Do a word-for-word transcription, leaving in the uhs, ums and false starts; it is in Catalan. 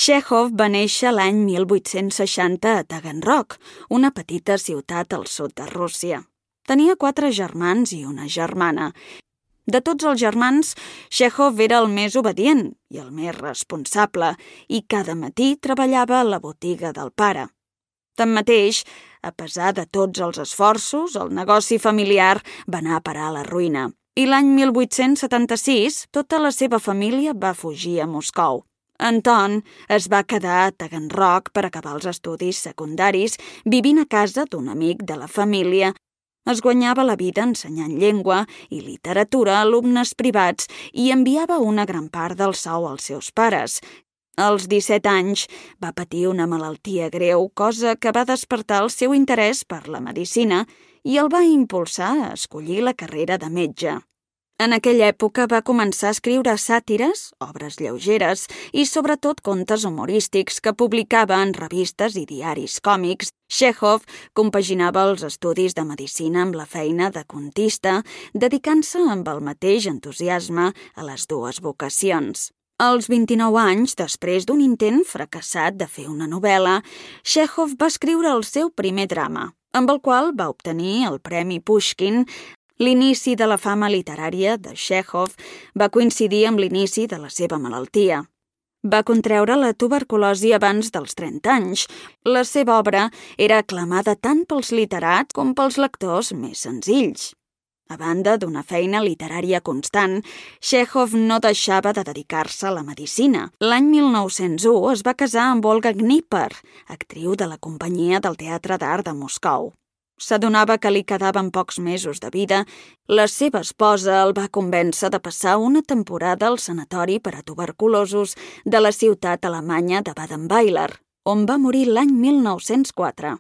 Txékhov va néixer l'any mil vuit-cents seixanta a Taganrog, una petita ciutat al sud de Rússia. Tenia quatre germans i una germana. De tots els germans, Txékhov era el més obedient i el més responsable i cada matí treballava a la botiga del pare. Tanmateix, a pesar de tots els esforços, el negoci familiar va anar a parar a la ruïna i l'any mil vuit-cents setanta-sis tota la seva família va fugir a Moscou. Anton es va quedar a Taganrog per acabar els estudis secundaris, vivint a casa d'un amic de la família. Es guanyava la vida ensenyant llengua i literatura a alumnes privats i enviava una gran part del sou als seus pares. Als disset anys va patir una malaltia greu, cosa que va despertar el seu interès per la medicina i el va impulsar a escollir la carrera de metge. En aquella època va començar a escriure sàtires, obres lleugeres i sobretot contes humorístics que publicava en revistes i diaris còmics. Txékhov compaginava els estudis de medicina amb la feina de contista, dedicant-se amb el mateix entusiasme a les dues vocacions. Als vint-i-nou anys, després d'un intent fracassat de fer una novel·la, Txékhov va escriure el seu primer drama, amb el qual va obtenir el Premi Pushkin. L'inici de la fama literària de Txékhov va coincidir amb l'inici de la seva malaltia. Va contreure la tuberculosi abans dels trenta anys. La seva obra era aclamada tant pels literats com pels lectors més senzills. A banda d'una feina literària constant, Txékhov no deixava de dedicar-se a la medicina. L'any mil nou-cents u es va casar amb Olga Gnipper, actriu de la companyia del Teatre d'Art de Moscou. S'adonava que li quedaven pocs mesos de vida. La seva esposa el va convèncer de passar una temporada al sanatori per a tuberculosos de la ciutat alemanya de Badenweiler, on va morir l'any mil nou-cents quatre.